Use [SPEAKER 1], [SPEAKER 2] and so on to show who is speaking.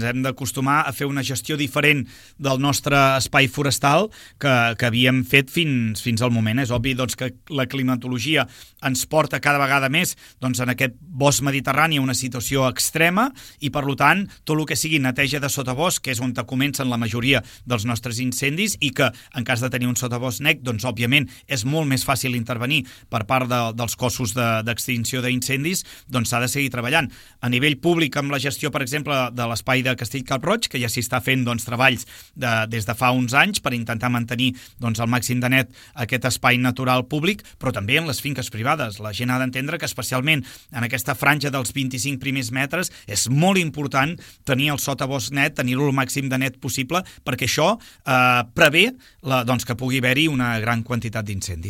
[SPEAKER 1] ens hem d'acostumar a fer una gestió diferent del nostre espai forestal que havíem fet fins al moment. És obvi doncs, que la climatologia ens porta cada vegada més doncs, en aquest bosc mediterrani a una situació extrema i, per tant, tot el que sigui neteja de sotabosc, que és on comencen la majoria dels nostres incendis i que, en cas de tenir un sotabosc net, doncs, òbviament, és molt més fàcil intervenir per part dels cossos d'extinció d'incendis, doncs s'ha de seguir treballant. A nivell públic, amb la gestió, per exemple, de l'espai de Castell-Cap-roig, que ja s'hi està fent doncs, treballs des de fa uns anys per intentar mantenir doncs, al màxim de net aquest espai natural públic, però també en les finques privades. La gent ha d'entendre que especialment en aquesta franja dels 25 primers metres és molt important tenir el sotabosc net, tenir-lo el màxim de net possible, perquè això prevé doncs, que pugui haver-hi una gran quantitat d'incendis.